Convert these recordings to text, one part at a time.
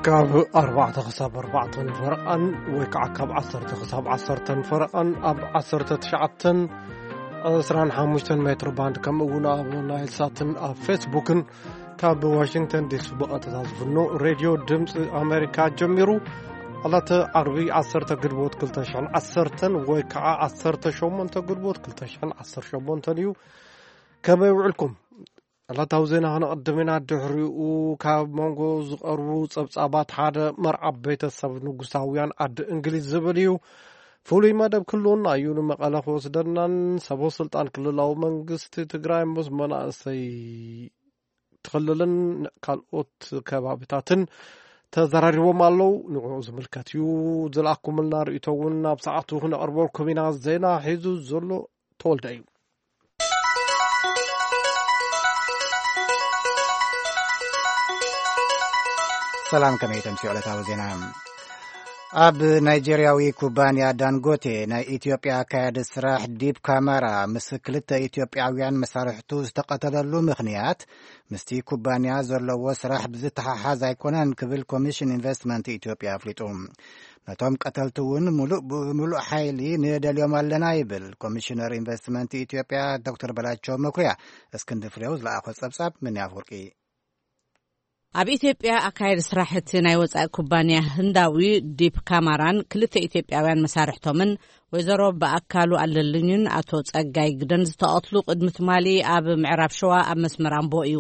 ካብ ኣርባዕተ ክሳብ ኣርባዕተ ፈረቓን ወይ ከዓ ካብ ዓሰርተ ክሳብ ዓሰርተ ፈረቓን ኣብ ዓሰርተ ትሽዓተ ዕስራን ሓሙሽተን ሜትሮ ባንድ፣ ከምኡ እውን ኣብ ናይል ሳትን ኣብ ፌስቡክን ካብ ዋሽንግተን ዲሲ ብቐጥታ ዝፍኖ ሬድዮ ድምፂ ኣሜሪካ ጀሚሩ። ዕለተ ዓርቢ ዓሰርተ ግንቦት ክልተ ሽሕን ዓሰርተን ወይ ከዓ ዓሰርተ ሸሞንተ ግንቦት ክልተ ሽሕን ዓሰርተ ሸሞንተን እዩ። ከመይ ውዕልኩም? ዕለታዊ ዜና ከነቐድም ኢና። ድሕሪኡ ካብ መንጎ ዝቐርቡ ጸብጻባት ሓደ፣ መርዓ ቤተሰብ ንጉሳውያን ዓዲ እንግሊዝ ዝብል እዩ። ፍሉይ መደብ ክህልወና እዩ። ንመቐለ ክወስደናን ሰበ ስልጣን ክልላዊ መንግስቲ ትግራይ ምስ መናእሰይ ትኽልልን ካልኦት ከባቢታትን ተዘራሪቦም ኣለዉ። ንዕኡ ዝምልከት እዩ ዝለኣኩምልና ርእይቶ እውን ኣብ ሰዓቱ ክነቕርበልኩም ኢና። ዜና ሒዙ ዘሎ ተወልደ እዩ። ሰላም፣ ከመይ ተምስዮ ዕለታዊ ዜና። ኣብ ናይጄርያዊ ኩባንያ ዳንጎቴ ናይ ኢትዮጵያ ኣካያዲ ስራሕ ዲፕ ካማራ ምስ ክልተ ኢትዮጵያውያን መሳርሕቱ ዝተቐተለሉ ምኽንያት ምስቲ ኩባንያ ዘለዎ ስራሕ ብዝተሓሓዝ ኣይኮነን ክብል ኮሚሽን ኢንቨስትመንት ኢትዮጵያ ኣፍሊጡ። ነቶም ቀተልቲ እውን ሙሉእ ብምሉእ ሓይሊ ንደልዮም ኣለና ይብል ኮሚሽነር ኢንቨስትመንት ኢትዮጵያ ዶክተር በላቸው መኩሪያ። እስክንድር ፍሬው ዝለኣኾ ጸብጻብ ምን ኣፍወርቂ። ኣብ ኢትዮጵያ ኣካየዲ ስራሕ እቲ ናይ ወጻኢ ኩባንያ ህንዳዊ ዲፕ ካማራን ክልተ ኢትዮጵያውያን መሳርሕቶምን ወይዘሮ ብኣካሉ ኣለልኝን ኣቶ ጸጋይ ግደን ዝተቐትሉ ቅድሚ ትማሊ ኣብ ምዕራብ ሸዋ ኣብ መስመር ኣምቦ እዩ።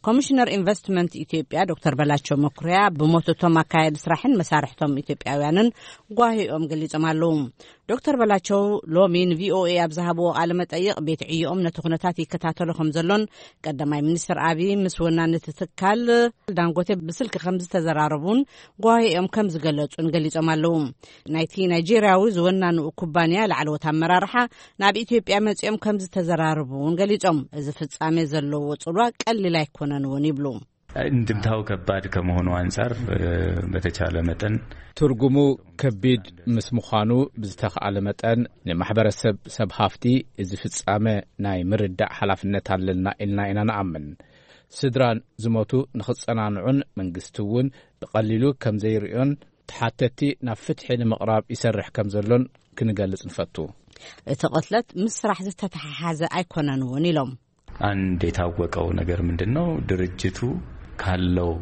ኮሚሽነር ኢንቨስትመንት ኢትዮጵያ ዶክተር በላቸው መኩሪያ ብሞት እቶም ኣካየዲ ስራሕን መሳርሕቶም ኢትዮጵያውያንን ጓሂኦም ገሊጾም ኣለዉ። ዶክተር በላቸው ሎሚ ንቪኦኤ ኣብ ዝሃብዎ ቃለ መጠይቕ ቤት ዕዮኦም ነቲ ኩነታት ይከታተሎ ከም ዘሎን ቀዳማይ ሚኒስትር ኣብይ ምስ ወናኒ እቲ ትካል ዳንጎቴ ብስልኪ ከም ዝተዘራረቡን ጓሂኦም ከም ዝገለጹን ገሊጾም ኣለዉ። ናይቲ ናይጄርያዊ ዝወናንኡ ኩባንያ ላዕለዎት ኣመራርሓ ናብ ኢትዮጵያ መጺኦም ከም ዝተዘራረቡ እውን ገሊጾም፣ እዚ ፍጻሜ ዘለዎ ጽልዋ ቀሊል ኣይኮነን እውን ይብሉ። እንድምታው ከባድ ከመሆኑ ኣንጻር በተቻለ መጠን ትርጉሙ ከቢድ ምስ ምዃኑ ብዝተኻእለ መጠን ንማሕበረሰብ ሰብ ሃፍቲ እዚ ፍጻመ ናይ ምርዳእ ሓላፍነት ኣለና ኢልና ኢና ንኣምን። ስድራን ዝሞቱ ንኽጸናንዑን መንግስቲ እውን ብቐሊሉ ከም ዘይርእዮን ተሓተቲ ናብ ፍትሒ ንምቕራብ ይሰርሕ ከም ዘሎን ክንገልጽ ንፈቱ። እቲ ቅትለት ምስ ስራሕ ዝተተሓሓዘ ኣይኮነን እውን ኢሎም። አንድ የታወቀው ነገር ምንድን ነው? ድርጅቱ ካለው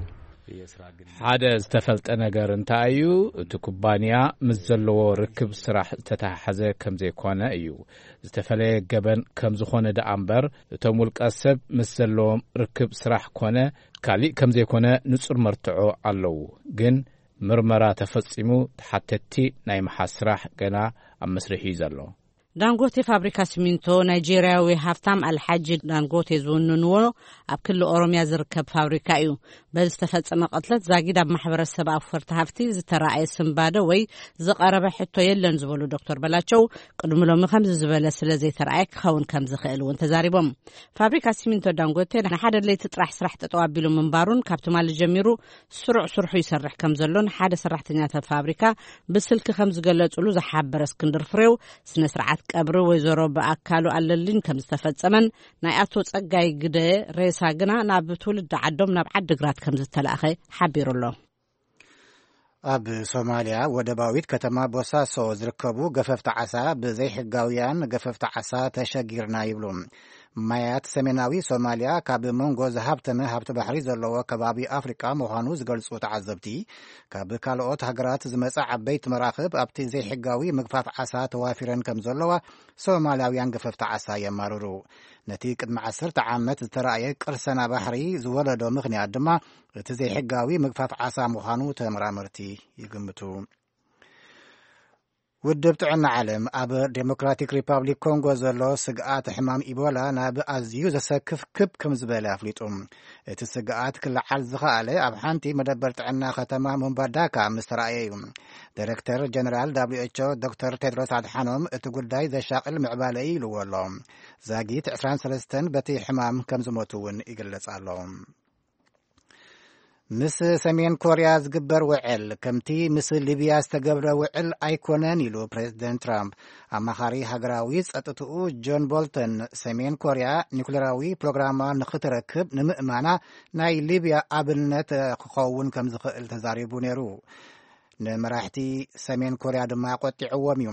ሓደ ዝተፈልጠ ነገር እንታይ እዩ? እቲ ኩባንያ ምስ ዘለዎ ርክብ ስራሕ ዝተተሓሓዘ ከም ዘይኮነ እዩ። ዝተፈለየ ገበን ከም ዝኾነ ደኣ እምበር እቶም ውልቀ ሰብ ምስ ዘለዎም ርክብ ስራሕ ኮነ ካሊእ ከም ዘይኮነ ንጹር መርትዖ ኣለዉ። ግን ምርመራ ተፈጺሙ ተሓተቲ ናይ ምሓዝ ስራሕ ገና ኣብ መስርሕ እዩ ዘሎ። ዳንጎቴ ፋብሪካ ሲሚንቶ ናይጄርያዊ ሃፍታም ኣልሓጂ ዳንጎቴ ዝውንንዎ ኣብ ክልል ኦሮምያ ዝርከብ ፋብሪካ እዩ። በዚ ዝተፈጸመ ቅትለት ዛጊድ ኣብ ማሕበረሰብ ኣፍፈርቲ ሃፍቲ ዝተራእየ ስንባደ ወይ ዝቐረበ ሕቶ የለን ዝበሉ ዶክተር በላቸው፣ ቅድሚ ሎሚ ከምዚ ዝበለ ስለ ዘይተራእየ ክኸውን ከም ዝኽእል እውን ተዛሪቦም። ፋብሪካ ሲሚንቶ ዳንጎቴ ንሓደ ለይቲ ጥራሕ ስራሕ ጠጠው ኣቢሉ ምንባሩን ካብ ትማሊ ጀሚሩ ስሩዕ ስርሑ ይሰርሕ ከም ዘሎን ሓደ ሰራሕተኛታት ፋብሪካ ብስልኪ ከም ዝገለጹሉ ዝሓበረ እስክንድር ፍሬው፣ ስነ ስርዓት ቀብሪ ወይዘሮ ብኣካሉ ኣለልኝ ከም ዝተፈጸመን ናይ ኣቶ ጸጋይ ግደ ሬሳ ግና ናብ ትውልዲ ዓዶም ናብ ዓዲግራት ከም ዝተላእኸ ሓቢሩ ኣሎ። ኣብ ሶማልያ ወደባዊት ከተማ ቦሳሶ ዝርከቡ ገፈፍቲ ዓሳ ብዘይሕጋውያን ገፈፍቲ ዓሳ ተሸጊርና ይብሉ። ማያት ሰሜናዊ ሶማልያ ካብ መንጎ ዝሃብተመ ሃብቲ ባሕሪ ዘለዎ ከባቢ ኣፍሪቃ ምዃኑ ዝገልጹ ተዓዘብቲ፣ ካብ ካልኦት ሃገራት ዝመጻ ዓበይቲ መራኽብ ኣብቲ ዘይሕጋዊ ምግፋፍ ዓሳ ተዋፊረን ከም ዘለዋ ሶማልያውያን ገፈፍቲ ዓሳ የማርሩ። ነቲ ቅድሚ ዓሰርተ ዓመት ዝተራእየ ቅርሰና ባሕሪ ዝወለዶ ምኽንያት ድማ እቲ ዘይሕጋዊ ምግፋፍ ዓሳ ምዃኑ ተመራመርቲ ይግምቱ። ውድብ ጥዕና ዓለም ኣብ ዴሞክራቲክ ሪፓብሊክ ኮንጎ ዘሎ ስግኣት ሕማም ኢቦላ ናብ ኣዝዩ ዘሰክፍ ክብ ከም ዝበለ ኣፍሊጡ። እቲ ስግኣት ክለዓል ዝኸኣለ ኣብ ሓንቲ መደበር ጥዕና ከተማ ሙምባዳካ ምስ ተራእየ እዩ። ዳይሬክተር ጀነራል ደብሊው ኤች ኦ ዶክተር ቴድሮስ ኣድሓኖም እቲ ጉዳይ ዘሻቕል ምዕባለ እዩ ኢልዎ ኣሎ። ዛጊት ዕስራን ሰለስተን በቲ ሕማም ከም ዝሞቱ እውን ይግለጽ ኣሎ። ምስ ሰሜን ኮርያ ዝግበር ውዕል ከምቲ ምስ ሊብያ ዝተገብረ ውዕል ኣይኮነን ኢሉ ፕሬዝደንት ትራምፕ። ኣማኻሪ ሃገራዊ ጸጥትኡ ጆን ቦልተን፣ ሰሜን ኮርያ ኒኩሌራዊ ፕሮግራማ ንኽትረክብ ንምእማና ናይ ሊብያ ኣብነት ክኸውን ከም ዝኽእል ተዛሪቡ ነይሩ። ንመራሕቲ ሰሜን ኮርያ ድማ ቆጢዕዎም እዩ።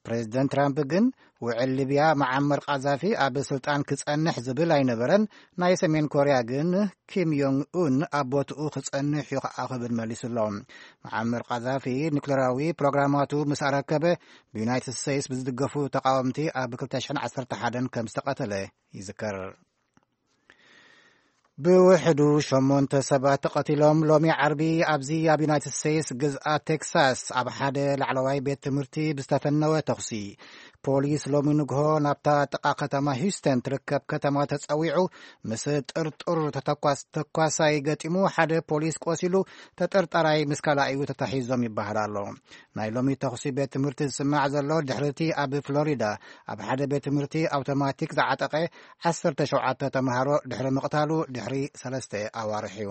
ፕሬዝደንት ትራምፕ ግን ውዕል ሊብያ መዓመር ቃዛፊ ኣብ ስልጣን ክጸንሕ ዝብል ኣይነበረን። ናይ ሰሜን ኮርያ ግን ኪም ዮንግ ኡን ኣብ ቦትኡ ክጸንሕ እዩ ከዓ ክብል መሊሱ ኣሎ። መዓመር ቃዛፊ ኒኩሌራዊ ፕሮግራማቱ ምስ ኣረከበ፣ ብዩናይትድ ስቴትስ ብዝድገፉ ተቃወምቲ ኣብ ክልተ ሽሕን ዓሰርተ ሓደን ከም ዝተቐተለ ይዝከር። ብውሕዱ ሸሞንተ ሰባት ተቐቲሎም። ሎሚ ዓርቢ ኣብዚ ኣብ ዩናይትድ ስቴትስ ግዝኣት ቴክሳስ ኣብ ሓደ ላዕለዋይ ቤት ትምህርቲ ብዝተፈነወ ተኹሲ፣ ፖሊስ ሎሚ ንግሆ ናብታ ጥቓ ከተማ ሂውስተን ትርከብ ከተማ ተጸዊዑ፣ ምስ ጥርጡር ተተኳስ-፣ ተኳሳይ ገጢሙ። ሓደ ፖሊስ ቆሲሉ፣ ተጠርጣራይ ምስ ካልኣዩ ተታሒዞም ይበሃል ኣሎ። ናይ ሎሚ ተኹሲ ቤት ትምህርቲ ዝስማዕ ዘሎ ድሕርቲ ኣብ ፍሎሪዳ ኣብ ሓደ ቤት ትምህርቲ ኣውቶማቲክ ዝዓጠቐ ዓሰርተ ሸውዓተ ተምሃሮ ድሕሪ ምቕታሉ ድሕሪ ሰለስተ ኣዋርሕ እዩ።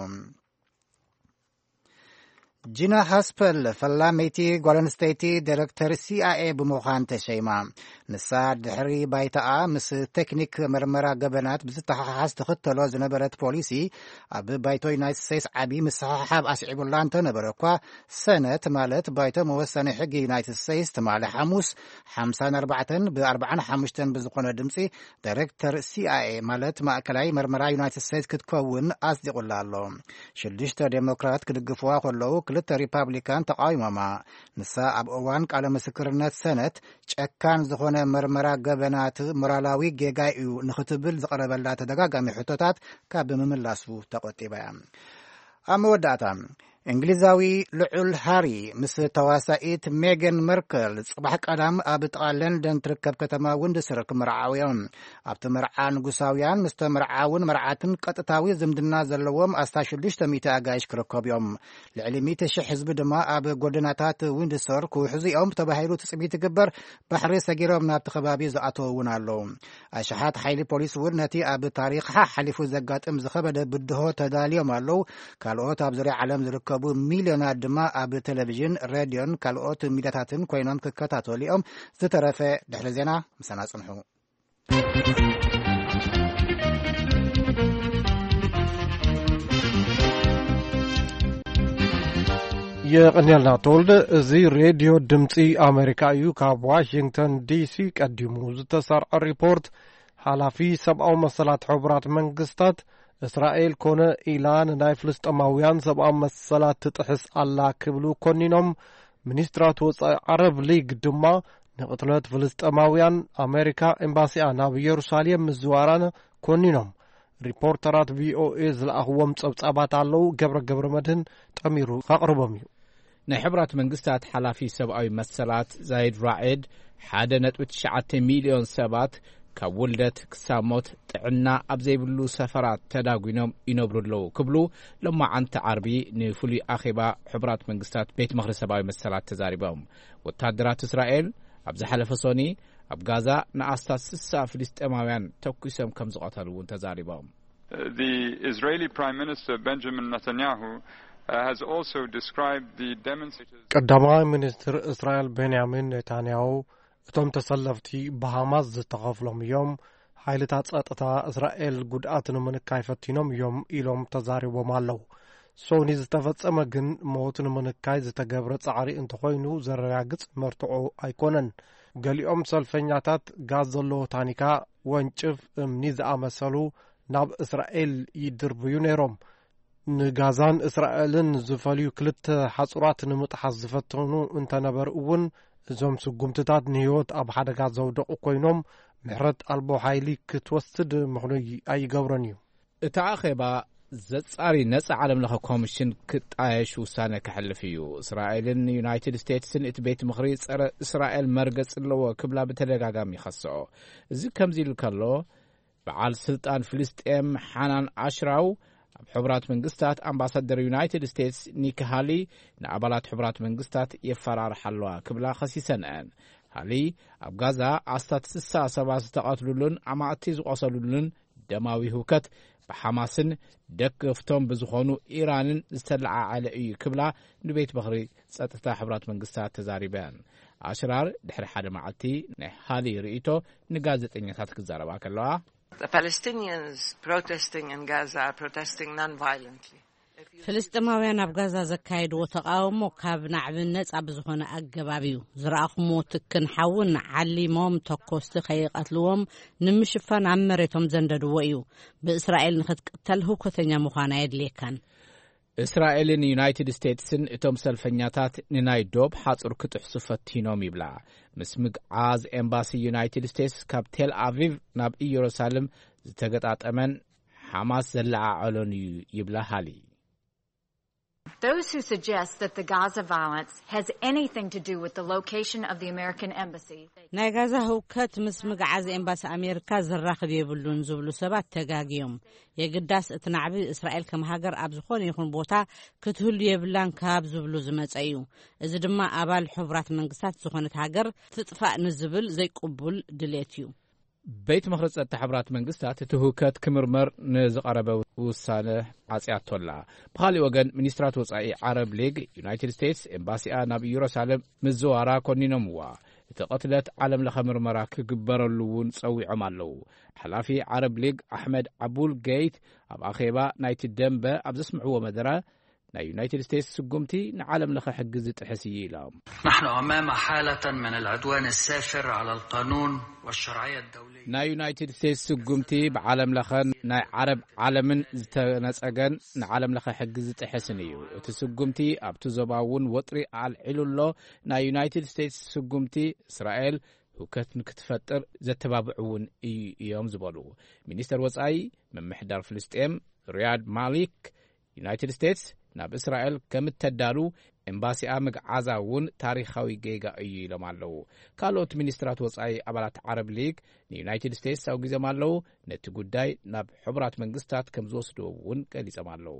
ጂና ሃስፐል ፈላመይቲ ጓል ኣንስተይቲ ዳይሬክተር ሲ ኣይ ኤ ብምዃን ተሸይማ። ንሳ ድሕሪ ባይታኣ ምስ ቴክኒክ መርመራ ገበናት ብዝተሓሓዝ ትኽተሎ ዝነበረት ፖሊሲ፣ ኣብ ባይቶ ዩናይትድ ስቴትስ ዓቢ ምስሕሓብ ኣስዒቡላ እንተነበረ እኳ፣ ሰነት ማለት ባይቶ መወሰኒ ሕጊ ዩናይትድ ስቴትስ ትማሊ ሓሙስ ሓምሳን ኣርባዕተን ብ ኣርባዓን ሓሙሽተን ብዝኾነ ድምፂ ዳይሬክተር ሲ ኣይ ኤ ማለት ማእከላይ መርመራ ዩናይትድ ስቴትስ ክትከውን ኣጽዲቑላ ኣሎ። ሽዱሽተ ዴሞክራት ክድግፍዋ ከለዉ፣ ክልተ ሪፓብሊካን ተቃዊሞማ። ንሳ ኣብ እዋን ቃለ ምስክርነት ሰነት፣ ጨካን ዝኾነ መርመራ ገበናት ሞራላዊ ጌጋ እዩ ንኽትብል ዝቐረበላ ተደጋጋሚ ሕቶታት ካብ ምምላሱ ተቆጢባ እያ። ኣብ መወዳእታ፣ እንግሊዛዊ ልዑል ሃሪ ምስ ተዋሳኢት ሜገን መርከል ጽባሕ ቀዳም ኣብ ጥቓ ለንደን ትርከብ ከተማ ዊንድሰር ክምርዓው እዮም። ኣብቲ መርዓ ንጉሳውያን ምስ ተመርዓውን መርዓትን ቀጥታዊ ዝምድና ዘለዎም ኣስታት ሽዱሽተ ሚእቲ ኣጋይሽ ክርከቡ እዮም። ልዕሊ ሚእቲ ሽሕ ህዝቢ ድማ ኣብ ጎደናታት ዊንድሰር ክውሕዙ እዮም ተባሂሉ ትጽቢት ይግበር። ባሕሪ ሰጊሮም ናብቲ ከባቢ ዝኣተዉ እውን ኣለዉ። ኣሽሓት ሓይሊ ፖሊስ እውን ነቲ ኣብ ታሪኽ ሓሓሊፉ ዘጋጥም ዝኸበደ ብድሆ ተዳልዮም ኣለዉ። ካልኦት ኣብ ዙርያ ዓለም ዝርከቡ ሚልዮናት ድማ ኣብ ቴሌቪዥን፣ ሬድዮን ካልኦት ሚድያታትን ኮይኖም ክከታተሉ እዮም። ዝተረፈ ድሕሪ ዜና ምሳና ጽንሑ። የቐንየልና ተወልደ። እዚ ሬድዮ ድምፂ ኣሜሪካ እዩ። ካብ ዋሽንግተን ዲሲ ቀዲሙ ዝተሰርዐ ሪፖርት፣ ሓላፊ ሰብኣዊ መሰላት ሕቡራት መንግስታት፣ እስራኤል ኮነ ኢላ ንናይ ፍልስጤማውያን ሰብኣዊ መሰላት ትጥሕስ ኣላ ክብሉ ኮኒኖም። ሚኒስትራት ወጻኢ ዓረብ ሊግ ድማ ንቕትለት ፍልስጤማውያን ኣሜሪካ ኤምባሲኣ ናብ ኢየሩሳሌም ምዝዋራን ኮኒኖም። ሪፖርተራት ቪኦኤ ዝለኣኽዎም ጸብጻባት ኣለዉ። ገብረ ገብረ መድህን ጠሚሩ ከቕርቦም እዩ። ናይ ሕቡራት መንግስታት ሓላፊ ሰብኣዊ መሰላት ዛይድ ራዒድ፣ ሓደ ነጥቢ ትሽዓተ ሚልዮን ሰባት ካብ ውልደት ክሳብ ሞት ጥዕና ኣብ ዘይብሉ ሰፈራት ተዳጒኖም ይነብሩ ኣለዉ ክብሉ፣ ሎማዓንቲ ዓርቢ ንፍሉይ ኣኼባ ሕቡራት መንግስታት ቤት ምኽሪ ሰብኣዊ መሰላት ተዛሪቦም። ወታደራት እስራኤል ኣብ ዝሓለፈ ሶኒ ኣብ ጋዛ ንኣስታት ስሳ ፍልስጤማውያን ተኩሶም ከም ዝቐተሉ እውን ተዛሪቦም። The Israeli Prime Minister Benjamin Netanyahu, uh, has also described the demonstrators ቀዳማይ ሚኒስትር እስራኤል ቤንያሚን ኔታንያሁ፣ እቶም ተሰለፍቲ ብሃማስ ዝተኸፍሎም እዮም፣ ሓይልታት ጸጥታ እስራኤል ጉድኣት ንምንካይ ፈቲኖም እዮም ኢሎም ተዛሪቦም ኣለዉ። ሶኒ ዝተፈጸመ ግን ሞት ንምንካይ ዝተገብረ ጻዕሪ እንተኾይኑ ዘረጋግጽ መርትዖ ኣይኮነን። ገሊኦም ሰልፈኛታት ጋዝ ዘለዎ ታኒካ፣ ወንጭፍ፣ እምኒ ዝኣመሰሉ ናብ እስራኤል ይድርብዩ ነይሮም። ንጋዛን እስራኤልን ዝፈልዩ ክልተ ሓጹራት ንምጥሓስ ዝፈተኑ እንተነበሩ እውን፣ እዞም ስጉምትታት ንህይወት ኣብ ሓደጋ ዘውደቑ ኮይኖም፣ ምሕረት ኣልቦ ሓይሊ ክትወስድ ምኽኑይ ኣይገብሮን እዩ። እቲ ኣኼባ ዘጻሪ ነጻ ዓለምለኸ ኮሚሽን ክጣየሽ ውሳነ ከሕልፍ እዩ። እስራኤልን ዩናይትድ ስቴትስን እቲ ቤት ምኽሪ ጸረ እስራኤል መርገጽ ኣለዎ ክብላ ብተደጋጋሚ ይኸስኦ። እዚ ከምዚ ኢሉ ከሎ፣ በዓል ስልጣን ፍልስጤም ሓናን ኣሽራው ኣብ ሕቡራት መንግስታት ኣምባሳደር ዩናይትድ ስቴትስ ኒኪ ሃሊ ንኣባላት ሕቡራት መንግስታት የፈራርሓ ኣለዋ ክብላ ከሲሰን እየን። ሃሊ ኣብ ጋዛ ኣስታት ስሳ ሰባት ዝተቐትሉሉን ኣማእቲ ዝቖሰሉሉን ደማዊ ህውከት ብሓማስን ደገፍቶም ብዝኾኑ ኢራንን ዝተለዓዓለ እዩ ክብላ ንቤት ምኽሪ ጸጥታ ሕቡራት መንግስታት ተዛሪበን። ኣሽራር ድሕሪ ሓደ መዓልቲ ናይ ሃሊ ርእይቶ ንጋዜጠኛታት ክዛረባ ከለዋ፣ The Palestinians protesting in Gaza are protesting non-violently. ፍልስጤማውያን ኣብ ጋዛ ዘካየድዎ ተቃውሞ ካብ ናዕቢ ነጻ ብዝኾነ ኣገባብ እዩ። ዝረኣኹምዎ ትክን ሓውን ዓሊሞም ተኮስቲ ከይቀትልዎም ንምሽፋን ኣብ መሬቶም ዘንደድዎ እዩ። ብእስራኤል ንኽትቅተል ህውከተኛ ምዃን ኣየድልየካን። እስራኤልን ዩናይትድ ስቴትስን እቶም ሰልፈኛታት ንናይ ዶብ ሓጹር ክጥሕሱ ፈቲኖም ይብላ። ምስ ምግዓዝ ኤምባሲ ዩናይትድ ስቴትስ ካብ ቴል ኣቪቭ ናብ ኢየሩሳሌም ዝተገጣጠመን ሓማስ ዘለዓዓሎን እዩ ይብላ ሃሊ። Those who suggest that the Gaza violence has anything to do with the location of the American embassy. ናይ ጋዛ ህውከት ምስ ምግዓዝ ኤምባሲ ኣሜሪካ ዘራኽብ የብሉን ዝብሉ ሰባት ተጋግዮም። የግዳስ እቲ ናዕቢ እስራኤል ከም ሃገር ኣብ ዝኾነ ይኹን ቦታ ክትህሉ የብላን ካብ ዝብሉ ዝመጸ እዩ። እዚ ድማ ኣባል ሕቡራት መንግስታት ዝኾነት ሃገር ትጥፋእ ንዝብል ዘይቅቡል ድሌት እዩ። ቤት ምኽሪ ጸጥታ ሕቡራት መንግስታት እቲ ህውከት ክምርመር ንዝቐረበ ውሳነ ዓጽያቶ ኣላ። ብኻሊእ ወገን፣ ሚኒስትራት ወጻኢ ዓረብ ሊግ፣ ዩናይትድ ስቴትስ ኤምባሲኣ ናብ ኢየሩሳሌም ምዝዋራ ኮኒኖምዋ። እቲ ቅትለት ዓለም ለኸ ምርመራ ክግበረሉ እውን ጸዊዖም ኣለዉ። ሓላፊ ዓረብ ሊግ ኣሕመድ ዓቡል ገይት ኣብ ኣኼባ ናይቲ ደንበ ኣብ ዘስምዕዎ መደረ፣ ናይ ዩናይትድ ስቴትስ ስጉምቲ ንዓለም ለኸ ሕጊ ዝጥሕስ እዩ ኢሎም። نحن أمام حالة من العدوان السافر على القانون والشرعية الدولية. ናይ ዩናይትድ ስቴትስ ስጉምቲ ብዓለም ለኸን ናይ ዓረብ ዓለምን ዝተነጸገን ንዓለም ለኸ ሕጊ ዝጥሕስን እዩ። እቲ ስጉምቲ ኣብቲ ዞባ እውን ወጥሪ ኣልዒሉ ኣሎ። ናይ ዩናይትድ ስቴትስ ስጉምቲ እስራኤል ህውከት ንክትፈጥር ዘተባብዑ እውን እዩ እዮም ዝበሉ ሚኒስተር ወጻኢ ምምሕዳር ፍልስጤም ሪያድ ማሊክ፣ ዩናይትድ ስቴትስ ናብ እስራኤል ከም እተዳሉ ኤምባሲኣ ምግዓዛ እውን ታሪኻዊ ጌጋ እዩ ኢሎም ኣለዉ። ካልኦት ሚኒስትራት ወጻኢ ኣባላት ዓረብ ሊግ ንዩናይትድ ስቴትስ ኣውጊዞም ኣለዉ። ነቲ ጉዳይ ናብ ሕቡራት መንግስታት ከም ዝወስድዎ እውን ገሊጾም ኣለዉ።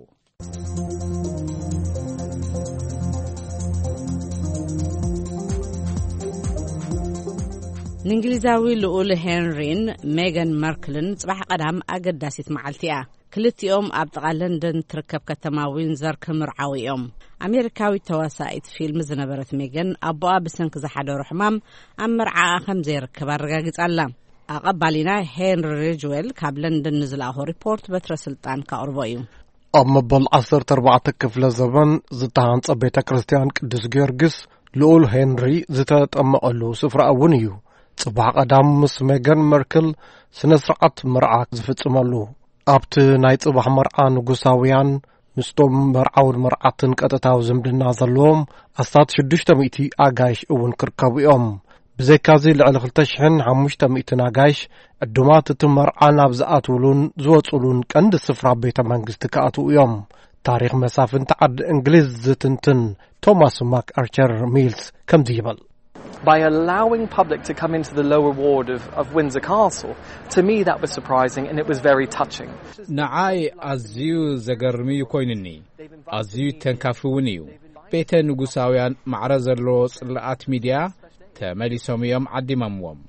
ንእንግሊዛዊ ልኡል ሄንሪን ሜገን መርክልን ጽባሕ ቀዳም ኣገዳሲት መዓልቲ እያ። ክልቲኦም ኣብ ጥቓ ለንደን ትርከብ ከተማ ዊንዘር ክምርዓው እዮም። ኣሜሪካዊት ተዋሳኢት ፊልም ዝነበረት ሜገን ኣቦኣ ብሰንኪ ዝሓደሮ ሕማም ኣብ መርዓኣ ከም ዘይርከብ ኣረጋጊጻ ኣላ። ኣቐባሊና ሄንሪ ሪጅዌል ካብ ለንደን ንዝለኣኾ ሪፖርት በትረ ስልጣን ካቕርቦ እዩ። ኣብ መበል ዓሰርተ ኣርባዕተ ክፍለ ዘበን ዝተሃንጸ ቤተ ክርስቲያን ቅዱስ ጊዮርጊስ ልኡል ሄንሪ ዝተጠመቐሉ ስፍራ እውን እዩ። ጽባሕ ቀዳም ምስ ሜገን መርክል ስነ ስርዓት መርዓ ዝፍጽመሉ። ኣብቲ ናይ ጽባሕ መርዓ ንጉሳውያን ምስቶም መርዓውን መርዓትን ቀጥታዊ ዝምድና ዘለዎም ኣስታት ሽዱሽተ ሚእቲ ኣጋይሽ እውን ክርከቡ እዮም። ብዘይካዚ ልዕሊ ክልተ ሽሕን ሓሙሽተ ሚእትን ኣጋይሽ ዕዱማት እቲ መርዓ ናብ ዝኣትውሉን ዝወጽሉን ቀንዲ ስፍራ ቤተ መንግስቲ ክኣትዉ እዮም። ታሪኽ መሳፍንቲ ዓዲ እንግሊዝ ዝትንትን ቶማስ ማክ ኣርቸር ሚልስ ከምዚ ይብል። By allowing public to come into the lower ward of, of Windsor Castle, to me that was surprising and it was very touching. ንዓይ ኣዝዩ ዘገርም እዩ ኮይኑኒ። ኣዝዩ ተንካፊ እውን እዩ። ቤተ ንጉሳውያን ማዕረ ዘለዎ ጽላኣት ሚድያ ተመሊሶም እዮም ዓዲሞምዎም።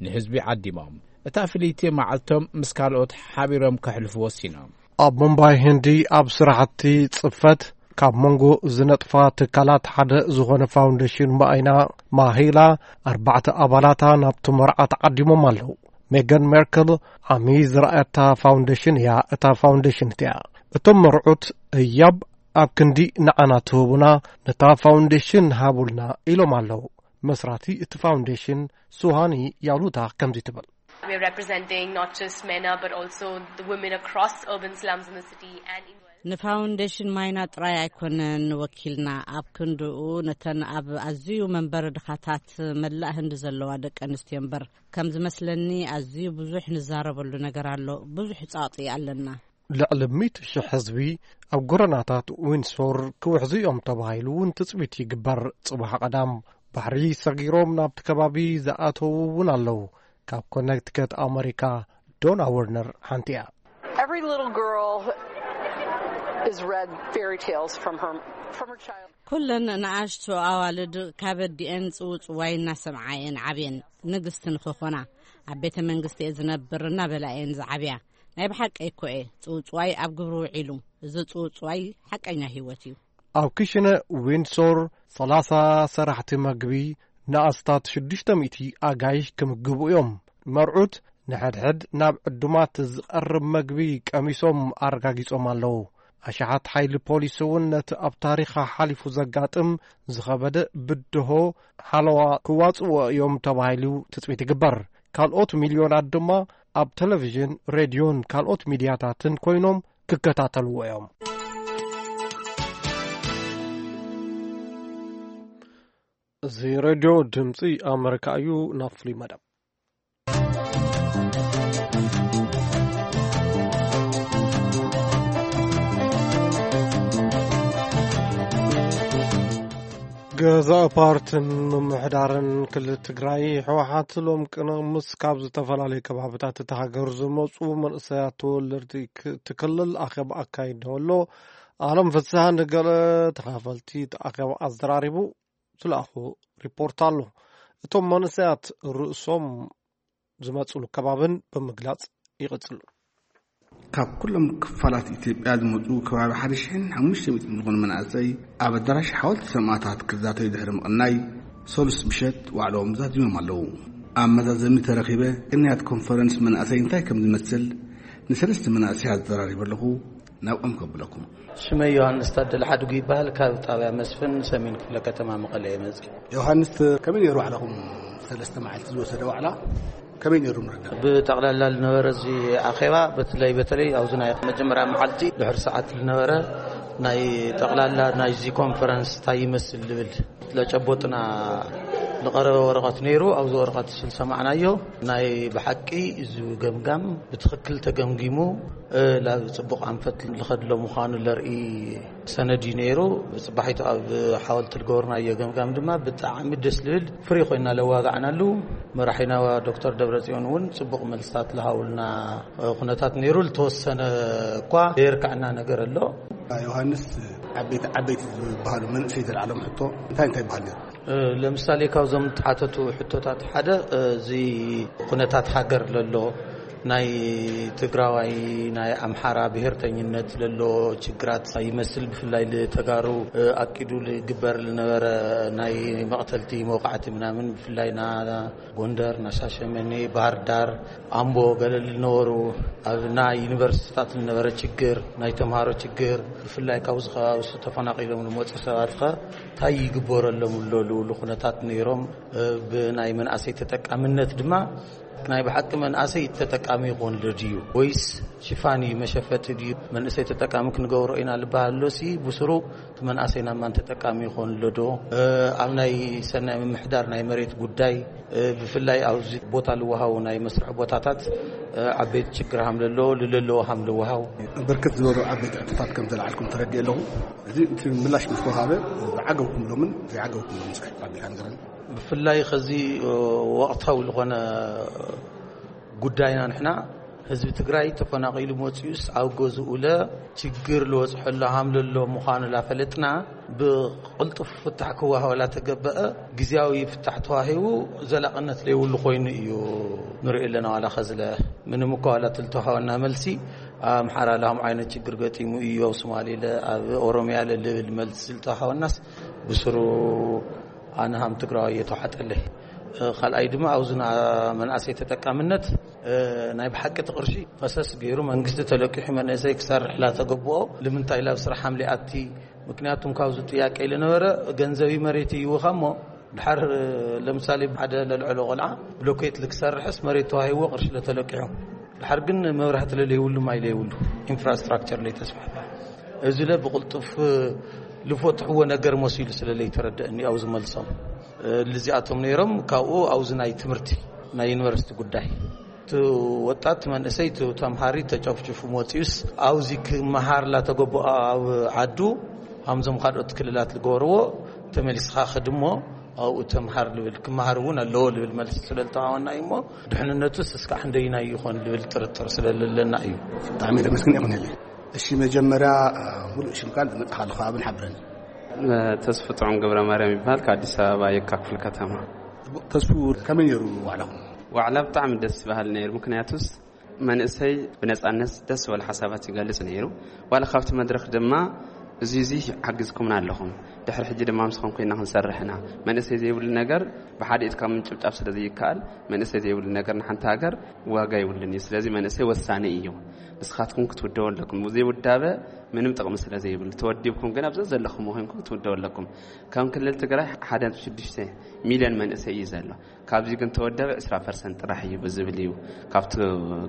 ንህዝቢ ዓዲሞም እታ ፍልይቲ መዓልቶም ምስ ካልኦት ሓቢሮም ከሕልፉ ወሲኖም። ኣብ ሙምባይ ህንዲ ኣብ ስራሕቲ ጽፈት ካብ መንጎ ዝነጥፋ ትካላት ሓደ ዝኾነ ፋውንዴሽን ማይና ማሂላ ኣርባዕተ ኣባላታ ናብቲ መርዓ ተዓዲሞም ኣለዉ። ሜገን ሜርክል ዓሚ ዝረኣየታ ፋውንዴሽን እያ እታ ፋውንዴሽን እቲኣ። እቶም መርዑት ህያብ ኣብ ክንዲ ንዓና ትህቡና ነታ ፋውንዴሽን ሃቡልና ኢሎም ኣለዉ። መስራቲ እቲ ፋውንዴሽን ሱሃኒ ያሉታ ከምዚ ትብል። We're representing not just MENA but also the women across urban slums in the city and in ንፋውንዴሽን ማይና ጥራይ ኣይኮነን ወኪልና፣ ኣብ ክንድኡ ነተን ኣብ ኣዝዩ መንበሪ ድኻታት መላእ ህንዲ ዘለዋ ደቂ ኣንስትዮ እምበር። ከም ዝመስለኒ ኣዝዩ ብዙሕ ንዛረበሉ ነገር ኣሎ። ብዙሕ ጻቕጢ ኣለና። ልዕሊ ሚእቲ ሽሕ ህዝቢ ኣብ ጎረናታት ዊንሶር ክውሕዙ እዮም ተባሂሉ እውን ትጽቢት ይግበር። ጽባሕ ቀዳም ባሕሪ ሰጊሮም ናብቲ ከባቢ ዝኣተዉ እውን ኣለዉ። ካብ ኮነክቲከት ኣመሪካ ዶና ወርነር ሓንቲ እያ። Every little girl is read fairy tales from her from her child. ኩለን ንኣሽቱ ኣዋልድ ካብ ኣዲኤን ጽውጽዋይ እናሰምዓ እየን ዓብየን። ንግስቲ ንኽኾና ኣብ ቤተ መንግስቲ እየ ዝነብር እናበላ እየን ዝዓብያ። ናይ ብሓቂ እኮ እየ ጽውጽዋይ ኣብ ግብሪ ውዒሉ። እዚ ጽውጽዋይ ሓቀኛ ህይወት እዩ። ኣብ ክሽነ ዊንድሶር ሰላሳ ሰራሕቲ መግቢ ንኣስታት ሽዱሽተ ሚእቲ ኣጋይሽ ክምግቡ እዮም። መርዑት ንሕድሕድ ናብ ዕዱማት ዝቐርብ መግቢ ቀሚሶም ኣረጋጊጾም ኣለዉ። ኣሽሓት ሓይሊ ፖሊስ እውን ነቲ ኣብ ታሪኻ ሓሊፉ ዘጋጥም ዝኸበደ ብድሆ ሓለዋ ክዋጽእዎ እዮም ተባሂሉ ትጽቢት ይግበር። ካልኦት ሚልዮናት ድማ ኣብ ቴሌቪዥን፣ ሬድዮን ካልኦት ሚድያታትን ኮይኖም ክከታተልዎ እዮም። እዚ ሬድዮ ድምፂ ኣመሪካ እዩ። ናብ ፍሉይ መደብ። ገዛኢ ፓርትን ምምሕዳርን ክልል ትግራይ ህወሓት ሎም ቅንምስ ካብ ዝተፈላለዩ ከባብታት እታ ሃገር ዝመፁ መንእሰያት ተወለድቲ ክ-፣ እቲ ክልል ኣኼባ ኣካይዶ ኣሎ። ኣለም ፍስሃ ንገለ ተኻፈልቲ እቲ ኣኼባ ኣዘራሪቡ ዝለኣኾ ሪፖርት ኣሎ። እቶም መንእሰያት ርእሶም ዝመፅሉ ከባብን ብምግላፅ ይቕፅሉ። ካብ ኩሎም ክፋላት ኢትዮጵያ ዝመፁ ከባቢ ሓደ ሽሕን ሓሙሽተ ሚእትን ዝኾኑ መናእሰይ ኣብ ኣዳራሽ ሓወልቲ ሰማእታት ክዛተዩ ድሕሪ ምቕናይ፣ ሰሉስ ምሸት ዋዕላኦም ዛዚሞም ኣለዉ። ኣብ መዛዘሚ ተረኺበ ቅንያት ኮንፈረንስ መናእሰይ እንታይ ከም ዝመስል ንሰለስተ መናእሰይ ኣዘራሪበ ኣለኹ። ናብኦም ከብለኩም። ሽመይ ዮሃንስ ታደለ ሓድጉ ይበሃል። ካብ ጣብያ መስፍን ሰሜን ክፍለ ከተማ መቐለ እየ መፅእ። ዮሃንስ፣ ከመይ ነይሩ ባዕልኹም ሰለስተ መዓልቲ ዝወሰደ ዋዕላ? ከመይ ነይሩ ንርዳእ? ብጠቕላላ ዝነበረ እዚ ኣኼባ፣ በተለይ፣ በተለይ ኣብዚ ናይ መጀመርያ መዓልቲ ድሕሪ ሰዓት ዝነበረ ናይ ጠቕላላ ናይዚ ኮንፈረንስ እንታይ ይመስል ዝብል ለጨቦጥና ዝቐረበ ወረቐት ነይሩ። ኣብዚ ወረቐት ዝሰማዕናዮ ናይ ብሓቂ እዚ ገምጋም ብትኽክል ተገምጊሙ፣ እ፣ ናብ ጽቡቕ ኣንፈት ዝኸድሎ ምዃኑ ለርኢ ሰነድ እዩ ነይሩ። ብጽባሒቱ ኣብ ሓወልቲ ዝገበርናዮ ገምጋም ድማ ብጣዕሚ ደስ ዝብል ፍሪ ኮይና ለዋጋዕናሉ። መራሒና ዶክተር ደብረጽዮን እውን ጽቡቕ መልስታት ዝሃቡልና፣ እ፣ ኩነታት ነይሩ። ዝተወሰነ እኳ ዘየርካዕና ነገር ኣሎ። ዮሃንስ፣ ዓበይቲ ዓበይቲ ዝበሃሉ መንእሰይ ዘልዓሎም ሕቶ እንታይ እንታይ ይበሃል ነይሩ? እ፣ ለምሳሌ ካብዞም ተሓተቱ ሕቶታት ሓደ፣ እ፣ እዚ ኩነታት ሃገር ለሎ ናይ ትግራዋይ ናይ ኣምሓራ ብሄርተኝነት ለሎ ችግራት ይመስል፣ ብፍላይ ልተጋሩ፣ እ፣ ኣቂዱ ልግበር ልነበረ ናይ መቕተልቲ መውቃዕቲ ምናምን ብፍላይ ና ጎንደር፣ ና ሻሸመኔ፣ ባህር ዳር፣ ኣምቦ ገለ ልነበሩ ኣብ ናይ ዩኒቨርሲቲታት ልነበረ ችግር፣ ናይ ተምሃሮ ችግር፣ ብፍላይ ካብዚ ከባቢ ተፈናቒሎም ልመፁ ሰባት ኸ እንታይ ይግበረሎም ኣሎ ልብሉ ኩነታት ነይሮም። እ፣ ብናይ መናእሰይ ተጠቃምነት ድማ ናይ ብሓቂ መናእሰይ ተጠቃሚ ይኾን ዶ ድዩ ወይስ ሽፋን እዩ መሸፈጢ ድዩ? መንእሰይ ተጠቃሚ ክንገብሮ ኢና ልበሃል ኣሎ ሲ ብስሩ እቲ መንእሰይ ናብ ማን ተጠቃሚ ይኾን ኣሎ ዶ? እ፣ ኣብ ናይ ሰናይ ምምሕዳር ናይ መሬት ጉዳይ፣ እ፣ ብፍላይ ኣብዚ ቦታ ልወሃቡ ናይ መስርሒ ቦታታት፣ እ፣ ዓበይቲ ችግር ሃም ለሎ፣ ልለለዎ ሃም ልወሃቡ። ብርክት ዝበሉ ዓበይቲ ሕቶታት ከም ዘልዓልኩም ተረዲእ ኣለኹ። እዚ እቲ ምላሽ ምስ ወሃበ ዝዓገብኩምሎምን ዘይዓገብኩምሎምን እስከ ኣቢልካ ንገረኒ። ብፍላይ ከዚ፣ እ፣ ወቕታዊ ዝኾነ ጉዳይና ንሕና ህዝቢ ትግራይ ተፈናቒሉ መፂኡስ ኣብ ገዝኡ ለ ችግር ልወፅሐሉ ሃም ለሎ ምዃኑ ላፈለጥና ብቕልጡፍ ፍታሕ ክወሃበላ ተገበአ። ግዝያዊ ፍታሕ ተዋሂቡ ዘላቕነት ለይብሉ ኮይኑ እዩ ንሪኦ ኣለና። ዋላ ኸዝለ ምንም እኳ ዋላ ትልተዋሃወና መልሲ ኣብ ኣምሓራ ለ ሃም ዓይነት ችግር ገጢሙ እዩ፣ ኣብ ሶማሌ ለ ኣብ ኦሮሚያ ለ ልብል መልሲ ዝተዋሃወናስ ብስሩ ኣነ ሃም ትግራዋይ እየ ተዋሓጠለይ። እ፣ ካልኣይ ድማ ኣብዚ ና-፣ መናእሰይ ተጠቃምነት፣ እ፣ ናይ ብሓቂ እቲ ቅርሺ ፈሰስ ገይሩ መንግስቲ ተለቂሑ መንእሰይ ክሰርሕ ላተገብኦ ልምንታይ ላብ ስራሕ ሃም ሊኣቲ? ምክንያቱም ካብዚ ጥያቄ ልነበረ ገንዘቢ መሬት ይውኻ እሞ ድሓር፣ እ፣ ለምሳሌ ሓደ ለልዕሎ ቆልዓ ብሎኬት ልክሰርሕስ መሬት ተዋሂዎ ቅርሺ ለተለቂሑ ድሓር ግን መብራህቲ ለለይብሉ ማይ ለይብሉ ኢንፍራስትራክቸር ለይተስፋሕፋ እዚ ለ ብቕልጡፍ ልፈትሕዎ ነገር መሲሉ ስለ ለይተረደእኒ፣ ኣብዚ መልሶም፣ እ፣ ልዚኣቶም ነይሮም። ካብኡ ኣብዚ ናይ ትምህርቲ፣ ናይ ዩኒቨርሲቲ ጉዳይ፣ እቲ ወጣት መንእሰይ፣ እቲ ተምሃሪ ተጨፍጭፉ መፂኡስ፣ ኣብዚ ክመሃር ላተገበኦ ኣብ ዓዱ፣ ሃምዞም ካልኦት ክልላት ዝገበርዎ፣ ተመሊስኻ ክድሞ ኣብኡ ተምሃር ልብል፣ ክመሃር እውን ኣለዎ ልብል መልሲ ስለ ዝተዋወና እዩ እሞ፣ ድሕንነቱስ እስካዕ ክንደይናይ ይኾን ልብል ጥርጥር ስለ ለለና እዩ። ብጣዕሚ ተመስግን ይኹን። እሺ፣ መጀመርያ፣ እ፣ ሙሉእ ሽምካን ዝመጽኻሉ ከባብን ሓብረን። እ፣ ተስፉ ጥዑም ገብረ ማርያም ይበሃል፣ ካብ ኣዲስ ኣበባ የካ ክፍለ ከተማ። ተስፉ፣ ከመይ ነይሩ ዋዕላኹም? ዋዕላ ብጣዕሚ ደስ በሃሊ ነይሩ። ምክንያቱስ መንእሰይ ብነጻነት ደስ ዝበለ ሓሳባት ይገልጽ ነይሩ። ዋላ ካብቲ መድረኽ ድማ እዚ እዚ ሓግዝኩምና ኣለኹም፣ ድሕሪ ሕጂ ድማ ምስኹም ኮይና ክንሰርሕ ኢና። መንእሰይ ዘይብሉ ነገር ብሓደ ኢድካ ምጭብጫብ ስለ ዘይከኣል፣ መንእሰይ ዘይብሉ ነገር ንሓንቲ ሃገር ዋጋ ይብሉን እዩ። ስለዚ መንእሰይ ወሳኒ እዩ። ንስኻትኩም ክትውደቡ ኣለኩም። ዘይውዳበ ምንም ጥቕሚ ስለ ዘይብሉ፣ ተወዲብኩም ግን ኣብዛ ዘለኹም ኮይንኩም ክትውደቡ ኣለኩም። ከም ክልል ትግራይ ሓደ ነጥቢ ሽዱሽተ ሚልዮን መንእሰይ እዩ ዘሎ። ካብዚ ግን ተወደበ ዕስራ ፐርሰንት ጥራሕ እዩ ብዝብል እዩ። ካብቲ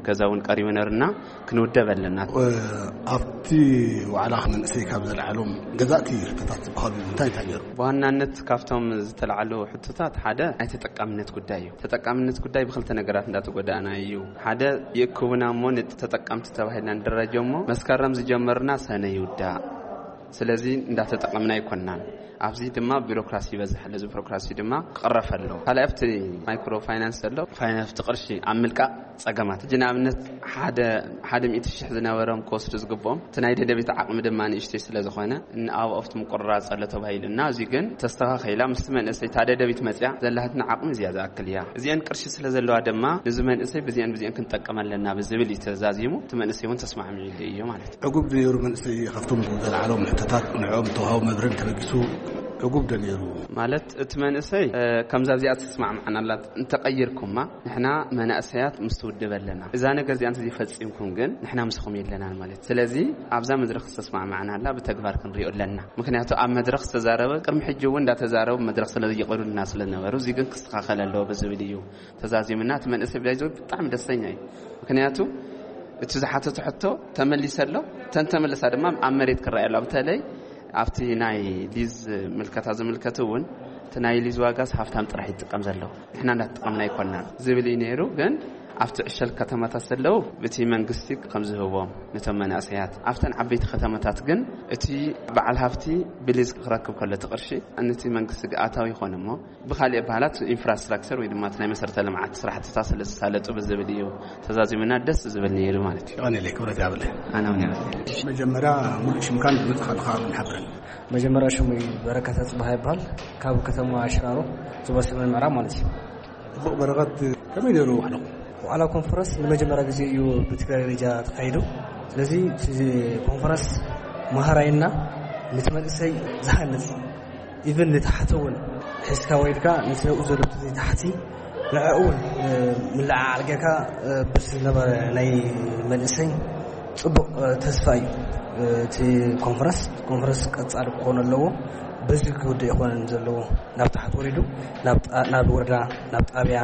ገዛ እውን ቀሪቡ ነርና፣ ክንውደብ ኣለና። ኣብቲ ዋዕላ መንእሰይ ካብ ዘለዓሎም ገዛእቲ ሕቶታት ዝበሃሉ እንታይ እንታይ ነይሩ? ብዋናነት ካብቶም ዝተላዕሉ ሕቶታት ሓደ ናይ ተጠቃምነት ጉዳይ እዩ። ተጠቃምነት ጉዳይ ብክልተ ነገራት እንዳተጎዳእና እዩ። ሓደ ይእክቡና እሞ ንተጠቀምቲ ተባሂልና ንደረጀ እሞ መስከረም ዝጀመርና ሰነ ይውዳእ። ስለዚ እንዳተጠቀምና ኣይኮናን። ኣብዚ ድማ ቢሮክራሲ ይበዝሕ ኣሎ። እዚ ቢሮክራሲ ድማ ክቕረፍ ኣለዎ። ካልኣይ ኣብቲ ማይክሮ ፋይናንስ ዘሎ ፋይናንስ ቅርሺ ኣብ ምልቃቕ ጸገማት። ሕጂ ንኣብነት ሓደ ሓደ ሚእቲ ሽሕ ዝነበሮም ክወስዱ ዝግብኦም፣ እቲ ናይ ደደቢት ዓቕሚ ድማ ንእሽተይ ስለ ዝኾነ፣ ንኣብኡ ኣብቲ ምቁርራጽ ኣሎ ተባሂሉ እና፣ እዚ ግን ተስተኻኺላ ምስቲ መንእሰይ እታ ደደቢት መጽያ ዘላትና ዓቕሚ እዚኣ ዝኣክል እያ። እዚአን ቅርሺ ስለ ዘለዋ ድማ፣ ነዚ መንእሰይ ብዚአን ብዚአን ክንጠቀም ኣለና ብዝብል እዩ ተዛዚሙ። እቲ መንእሰይ እውን ተስማዕሚዑ እዩ ማለት እዩ። ዕጉብ ዝነይሩ መንእሰይ ካብቶም ዘለዓሎም ሕቶታት ንዕኦም ተዋሃቡ መብረን ተበጊሱ ዕጉብ ዶ ነይሩ? ማለት እቲ መንእሰይ፣ እ፣ ከምዛ እዚኣ ተስማዕማዕናላት እንተቐይርኩማ፣ ንሕና መናእሰያት ምስ ትውድብ ኣለና። እዛ ነገር እዚኣ እንተዘይፈጺምኩም ግን ንሕና ምስኹም የለናን ማለት። ስለዚ ኣብዛ መድረኽ ዝተስማዕማዕናላ ብተግባር ክንሪኦ ኣለና። ምክንያቱ ኣብ መድረኽ ዝተዛረበ ቅድሚ ሕጂ እውን እንዳተዛረቡ መድረኽ ስለ ዘይቀዱልና ስለ ዝነበሩ፣ እዚ ግን ክስተኻኸል ኣለዎ ብዝብል እዩ ተዛዚምና። እቲ መንእሰይ ብላይ ብጣዕሚ ደስተኛ እዩ። ምክንያቱ እቲ ዝሓተቶ ሕቶ ተመሊሰ ኣሎ። ተን ተመለሳ ድማ ኣብ መሬት ክረኣየ ኣሎ። በተለይ ኣብቲ ናይ ሊዝ ምልከታ ዝምልከት እውን፣ እቲ ናይ ሊዝ ዋጋስ ሃፍታም ጥራሕ ይጥቀም ዘሎ፣ ንሕና እንዳተጠቀምና ኣይኮናን ዝብል እዩ ነይሩ። ግን ኣብቲ ዕሸል ከተማታት ዘለዉ፣ እቲ መንግስቲ ከም ዝህቦም ነቶም መናእሰያት፣ ኣብተን ዓበይቲ ከተማታት ግን እቲ በዓል ሃፍቲ ብሊዝ ክረክብ ከሎ እቲ ቅርሺ ነቲ መንግስቲ ኣታዊ ይኾን እሞ፣ ብኻሊእ በሃላት ኢንፍራስትራክቸር ወይ ድማ እቲ ናይ መሰረተ ልምዓት ስራሕትታት ስለ ዝሳለጡ ብዝብል እዩ ተዛዚሙና። ደስ ዝብል ነይሩ ማለት እዩ። ይቐንየለይ፣ ክብረት ይሃበለይ። ኣነ እውን ይቐንየለይ። መጀመርያ ሙሉእ ሽምካን ብመጽኻ ኣለኻ ንሓብረን። መጀመርያ ሽሙ በረከት ኣጽብሃ ይበሃል። ካብ ከተማ ሽራሮ ዞባ ሰሜን ምዕራብ ማለት እዩ። ጽቡቕ በረኸት፣ ከመይ ነይሩ ዋዕላኹም? ዋዕላ ኮንፈረንስ ንመጀመርያ ግዜ እዩ ብትግራይ ደረጃ ተኻይዱ። ስለዚ እቲ ኮንፈረንስ መሃራይና፣ ነቲ መንእሰይ ዝሃንጽ፣ ኢቭን ንታሕቲ እውን ሒዝካ ወሪድካ ነቲ ኣብኡ ዘሎ እቲ ታሕቲ ንዕኡ እውን፣ እ፣ ምልዕዓል ጌርካ፣ እ፣ በቲ ዝነበረ ናይ መንእሰይ ጽቡቕ፣ እ፣ ተስፋ እዩ። እ፣ እቲ ኮንፈረንስ፣ ኮንፈረንስ ቀጻሊ ክኾን ኣለዎ። በዚ ክውዳእ ይኾነን ዘለዎ። ናብ ታሕቲ ወሪዱ፣ ናብ ጣ-፣ ናብ ወረዳ፣ ናብ ጣብያ፣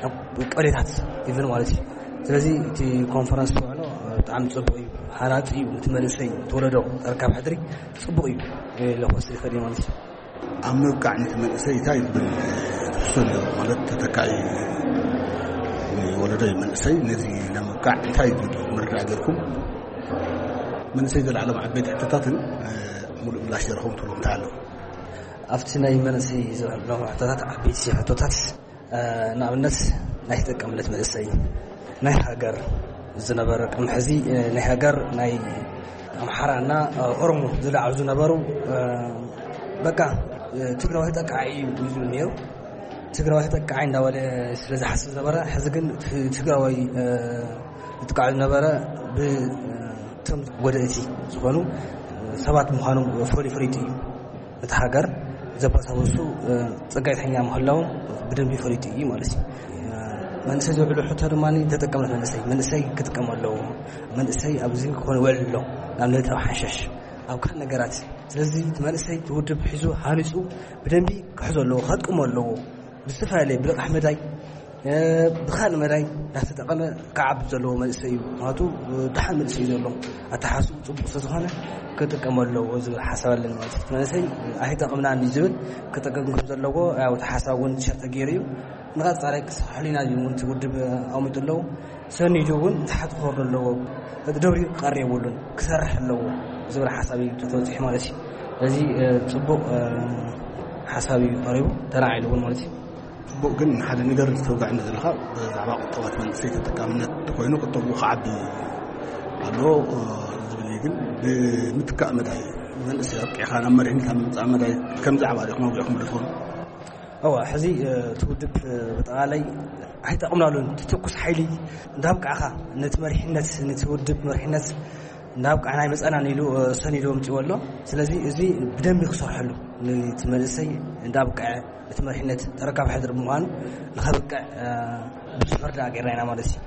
ናብ ቀበሌታት ኢቭን ማለት እዩ። ስለዚ እቲ ኮንፈረንስ ውዕሎ፣ እ፣ ብጣዕሚ ጽቡቕ እዩ። ሃናጺ እዩ። ነቲ መንእሰይ፣ እቲ ወለዶ ተረካብ ሕድሪ ጽቡቕ እዩ። እ፣ ለኾስ ይኽእል እዩ ማለት እዩ። ኣብ ምብቃዕ ነቲ መንእሰይ እንታይ ዝብል ትሕዝቶ ኣለዎ? ማለት ተተካኢ ወለዶ መንእሰይ ነዚ ንምብቃዕ እንታይ ዝብል ምርዳእ ጌርኩም? መንእሰይ ዘለዓሎም ዓበይቲ ሕቶታትን፣ እ፣ ሙሉእ ምላሽ ዝረኸቡ ትብሉ እንታይ ኣለዉ? ኣብቲ ናይ መንእሰይ ዘለዉ ሕቶታት፣ ዓበይቲ ሕቶታት፣ እ፣ ንኣብነት ናይ ተጠቃምነት መንእሰይ፣ ናይ ሃገር ዝነበረ ቅድሚ ሕዚ፣ እ፣ ናይ ሃገር ናይ ኣምሓራ እና፣ እ፣ ኦሮሞ ዝለዓሉ ዝነበሩ፣ እ፣ በቃ፣ እ፣ ትግራዋይ ተጠቃዒ እዩ ዝብል ነይሩ። ትግራዋይ ተጠቃዒ እንዳበለ ስለ ዝሓስብ ነበረ። ሕዚ ግን ት-፣ ትግራዋይ፣ እ፣ ዝጥቃዕ ዝነበረ ብ-፣ እ፣ እቶም ጎደእቲ ዝኾኑ፣ እ፣ ሰባት ምዃኖም ፈሊ-፣ ፈሊጡ እዩ። እቲ ሃገር ዘባሳበሱ፣ እ፣ ጸጋይተኛ ምህላዎም ብደንቢ ፈሊጡ እዩ ማለት እዩ። እ፣ መንእሰይ ዝውዕሉ ሕቶ ድማ ተጠቀምነት መንእሰይ፣ መንእሰይ ክጥቀም ኣለዎ። መንእሰይ ኣብዚ ክኾን ይውዕል ኣሎ፣ ንኣብነት ኣብ ሓሸሽ፣ ኣብ ካልእ ነገራት። ስለዚ እቲ መንእሰይ እቲ ውድብ ሒዙ ሃኒጹ ብደንቢ ክሕዞ ኣለዎ፣ ከጥቀሞ ኣለዎ። ብዝተፈላለየ ብልቓሕ መዳይ፣ እ፣ ብኻልእ መዳይ እንዳተጠቐመ ክዓቢ ዘለዎ መንእሰይ እዩ። ምኽንያቱ፣ እ፣ ደሓን መንእሰይ እዩ ዘሎ። ኣተሓሳስብኡ ጽቡቕ ስለ ዝኾነ ክጥቀም ኣለዎ ዝብል ሓሳብ ኣለኒ ማለት እዩ። እቲ መንእሰይ ኣይጠቕምናን እዩ ዝብል ክጠቅም ከም ዘለዎ፣ ያው፣ እቲ ሓሳብ እውን ሸር ተገይሩ እዩ። ንቐጻሊ ክስርሐሉ ኢና ዝብል እውን እቲ ውድብ ኣቐሚጡ ኣለዎ። ሰኒዱ እውን ታሕቲ ክወርዶ ኣለዎ። እቲ ደብሪኡ ክቐሪ የብሉን፣ ክሰርሕ ኣለዎ ዝብል ሓሳብ እዩ ተበጺሑ ማለት እዩ። ስለዚ፣ እ፣ ጽቡቕ፣ እ፣ ሓሳብ እዩ ቀሪቡ፣ ተራዒሉ እውን ማለት እዩ። ጽቡቕ፣ ግን ሓደ ነገር ዝተውጋዕኒ ዘለኻ ብዛዕባ ቁጠባት መንእሰይ ተጠቃምነት ኮይኑ ቁጠቡ ክዓቢ ኣለዎ፣ እ፣ ዝብል እዩ። ግን ብምትካእ መዳይ መንእሰይ ኣብቂዕካ ናብ መሪሕነት ኣብ ምምጻእ መዳይ ከም ዛዕባ ዲኹም ኣውጊዕኩም ዶ ትኾኑ? እዋ፣ ሕዚ እቲ ውድብ ብጠቓላይ ኣይጠቕምናሉን። ትኩስ ሓይሊ እንዳብቃዕኻ ነቲ መሪሕነት፣ ነቲ ውድብ መሪሕነት እንዳብቃዕና ኣይመፀናን ኢሉ ሰኒዱ ኣምፅዎ ኣሎ። ስለዚ እዚ ብደንቢ ክሰርሐሉ፣ ነቲ መንእሰይ እንዳብቀዐ እቲ መሪሕነት ተረካብ ሕድር ብምዃኑ ንኸብቅዕ ብዙሕ መርዳእ ገይርና ኢና ማለት እዩ።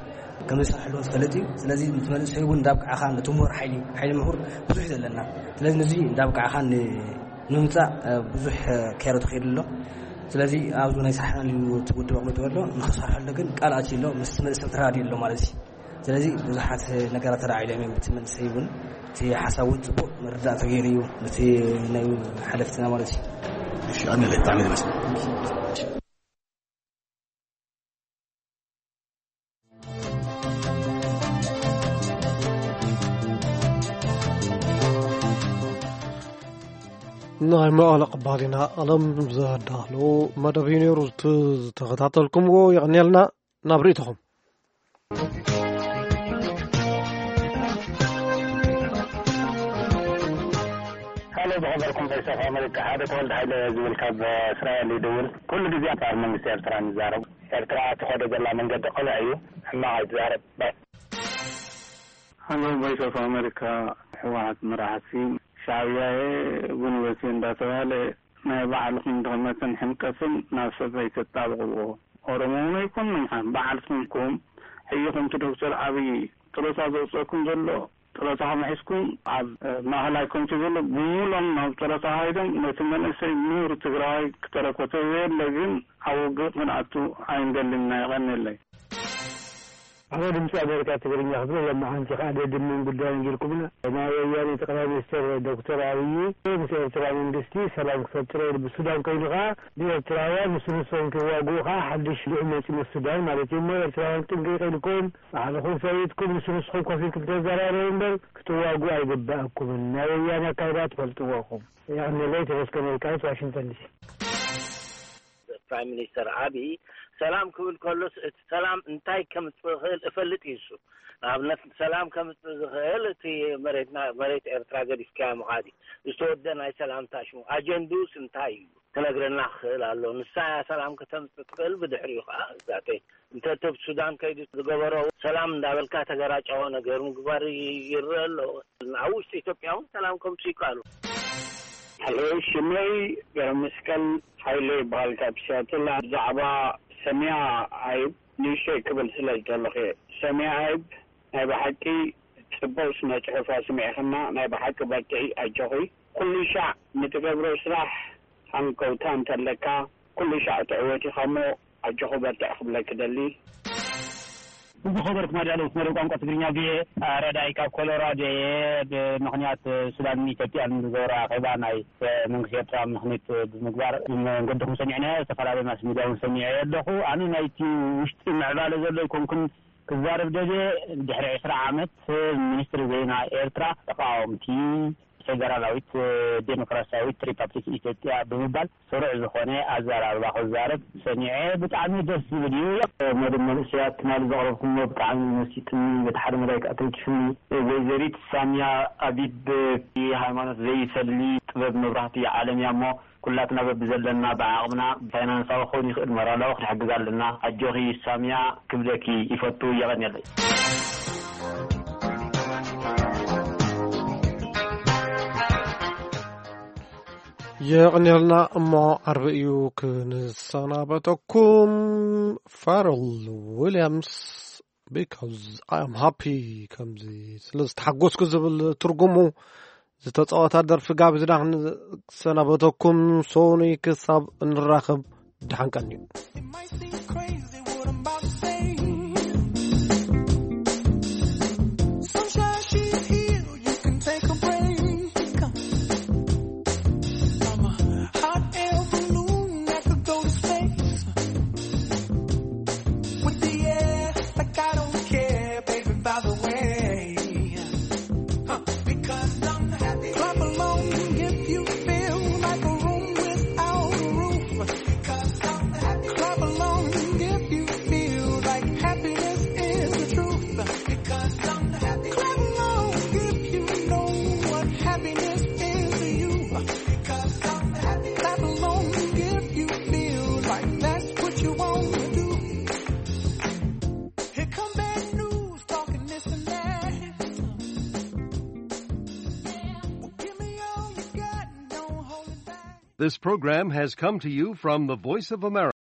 ከም ዝሰርሐሉ ዝፈልጥ እዩ። ስለዚ ነቲ መንእሰይ እውን እንዳብቃዕኻ፣ ነቲ ምሁር ሓይሊ፣ ሓይሊ ምሁር ብዙሕ ዘለና። ስለዚ ነዚ እንዳብቃዕኻ ንምምፃእ ብዙሕ ከይሮ ተኸይዱ ኣሎ። ስለዚ ኣብዚ ናይ ሳሕናን እዩ እቲ ውድብ ኣቕሚጥዎ ኣሎ። ንኽሰርሐሉ ግን ቃል ኣትዩ ኣሎ፣ ምስ መንእሰይ ተራዲኡ ኣሎ ማለት እዩ። ስለዚ ብዙሓት ነገራት ተራዒሎም እዮም። እቲ መንእሰይ እውን እቲ ሓሳብ እውን ፅቡቕ ምርዳእ ተገይሩ እዩ፣ ነቲ ናይ ሓለፍትና ማለት እዩ። እሺ፣ ኣነ ብጣዕሚ ደስ ናይ መቐለ ቅባሊና ቀለም ዘዳሎ መደብ እዩ ነይሩ። ዝተኸታተልኩምዎ የቐንየልና። ናብ ርእይቶኹም። ሃሎ፣ ዝኸበርኩም ቮይስ ኦፍ ኣሜሪካ፣ ሓደ ተወልደ ሃይለ ዝብል ካብ እስራኤል ይድውል። ኩሉ ግዜ ኣንጻር መንግስቲ ኤርትራ ንዛረብ። ኤርትራ ትኸዶ ዘላ መንገዲ ቅኑዕ እዩ፣ ሕማቕ ኣይትዛረብ። ባይ። ሃሎ፣ ቮይስ ኦፍ ኣሜሪካ፣ ህወሓት መራሕቲ ሻዕብያ እየ፣ ጉንበት እየ እንዳተባለ ናይ ባዕልኹም ድኽመትን ሕምቀትን ናብ ሰብ ኣይተጣብቕዎ። ኦሮሞ እውን ኣይኮንኩም፣ ባዕልኹም ኢኹም ሕይኹም እቲ ዶክተር ኣብይ ጥሮታ ዘውፀኩም ዘሎ። ጥሮታኹም ሒዝኩም ኣብ ማእኸላይ ኮሚቴ ዘሎ ብምሉኦም ናብ ጥሮታ ሃይዶም ነቲ መንእሰይ ምሁር ትግራዋይ ክተረኮ ተዘየለ ግን ኣብ ውግእ ክንኣቱ ኣይንደልን ኢና። የቐንየለይ። ኣነ ድምፂ ኣሜሪካ ትግርኛ ክብል ለማዓንቲ ከዓ ደድምን ጉዳይን ጌርኩምና። ናይ ወያኔ ጠቅላይ ሚኒስትር ዶክተር ኣብይ ምስ ኤርትራ መንግስቲ ሰላም ክፈጥር ኢሉ ብሱዳን ኮይኑ ከዓ ንኤርትራውያን ንሱ ንሶም ክዋግኡ ከዓ ሓድሽ ልዑ መፂ ምስ ሱዳን ማለት እዩ። እሞ ኤርትራውያን ጥንቅቅ ኢልኩም ባዕልኹም ፈሊጥኩም ንሱ ንስኹም ኮፍ ኢልኩም ተዘራረቡ እምበር ክትዋግኡ ኣይግባእኩምን። ናይ ወያኔ ኣካይዳ ትፈልጥዎ ኢኹም። የቐንየለይ። ተመስገን ወልቃይት፣ ዋሽንግተን ዲሲ። ፕራይም ሚኒስተር ኣብይ ሰላም ክብል ከሎስ እቲ ሰላም እንታይ ከምጽእ ዝኽእል እፈልጥ እዩ። እሱ ንኣብነት ሰላም ከምጽእ ዝኽእል እቲ መሬትና፣ መሬት ኤርትራ ገዲፍካያ ምኻድ እዩ። ዝተወደ ናይ ሰላምታ ሽሙ ኣጀንድኡስ እንታይ እዩ ክነግረና ክኽእል ኣሎ። ንሳ እያ ሰላም ከተምጽእ ትኽእል፣ ብድሕሪኡ ኸዓ ዛተይ እንተ ኣብ ሱዳን ከይዱ ዝገበሮ ሰላም እንዳበልካ ተገራጫዎ ነገር ምግባር ይረአ ኣሎ። ኣብ ውሽጢ ኢትዮጵያ እውን ሰላም ከምጽእ ይከኣሉ። ሄሎ፣ ሽመይ ገብረመስቀል ሓይለ ይበሃል ካብ ሲያትል። ብዛዕባ ሰሚያ ኣይብ ንእሽተይ ክብል ስለ ዝደለኹ እየ። ሰሚያ ኣይብ ናይ ብሓቂ ጽቡቕ ስነ ጽሑፍ ኣስሚዕኽና፣ ናይ ብሓቂ በርትዒ፣ ኣጆኺ። ኩሉ ሻዕ ንትገብሮ ስራሕ ሃንቀውታ እንተለካ፣ ኩሉ ሻዕ ትዕወት ኢኻ እሞ ኣጆኹ በርትዕ ክብለኪ ደሊ። ዝኸበርኩም ኣዳለውቲ መደብ ቋንቋ ትግርኛ ቪኦኤ፣ ረዳይ ካብ ኮሎራዶ እየ። ብምኽንያት ሱዳንን ኢትዮጵያን ዝገበሮ ኣኼባ ናይ መንግስቲ ኤርትራ ምኽኒት ብምግባር መንገድኹም ሰሚዕናዮ፣ ዝተፈላለዩ ማስ ሚድያ እውን ሰሚዐ ኣለኹ። ኣነ ናይቲ ውሽጢ ምዕባለ ዘሎ ኣይኮንኩን ክዛረብ ደልየ። ድሕሪ ዕስራ ዓመት ሚኒስትሪ ዜና ኤርትራ ተቃወምቲ ፌደራላዊት ዴሞክራሲያዊት ሪፓብሊክ ኢትዮጵያ ብምባል ስሩዕ ዝኾነ ኣዘራርባ ክዛረብ ሰሚዐ። ብጣዕሚ ደስ ዝብል እዩ። መደብ መንእሰያት ትማሊ ዘቕረብኩሞ ብጣዕሚ መሲጥኒ። በቲ ሓደ መዳይ ከዓ ተንኪፍኒ። ወይዘሪት ሳሚያ ኣቢብ ሃይማኖት ዘይፈሊ ጥበብ መብራህቲ ዓለም እያ እሞ ኩላትና በብዘለና ብዓቕምና ብፋይናንሳዊ ክኸውን ይኽእል ሞራላዊ ክንሕግዝ ኣለና። ኣጆኺ ሳሚያ ክብለኪ ይፈቱ። የቐንየለይ። የቐንየልና እሞ ዓርቢ እዩ ክንሰናበተኩም። ፋረል ዊልያምስ because I am happy ከምዚ ስለ ዝተሓጎስኩ ዝብል ትርጉሙ ዝተፃወታ ደርፊ ጋቢዝና ክንሰናበተኩም። ሶኒ ክሳብ እንራኸብ ደሓን ቀንዩ። It might seem crazy what I'm about to say. Sunshine, she's here, you can take a break. I'm a hot air balloon that could go to space. With the air, like I don't care, baby, by the way. Huh. Because I'm happy. Clap along if you feel like a room without a roof. Because I'm happy. Clap along This program has come to you from the Voice of America.